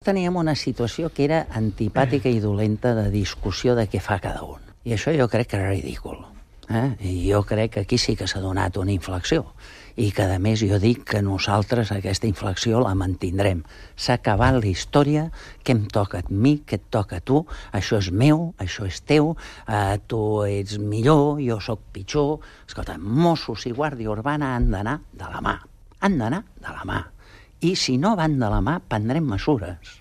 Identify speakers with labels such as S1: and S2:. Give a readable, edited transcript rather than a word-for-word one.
S1: Teníem una situació que era antipàtica i dolenta de discussió de què fa cada un. I això jo crec que era ridícul. I jo crec que aquí sí que s'ha donat una inflexió. I que, a més, jo dic que nosaltres aquesta inflexió la mantindrem. S'ha acabat la història, què em toca a mi, què et toca a tu, això és meu, això és teu, tu ets millor, jo sóc pitjor. Escolta, Mossos i Guàrdia Urbana han d'anar de la mà. Han d'anar de la mà. I si no van de la mà, prendrem mesures.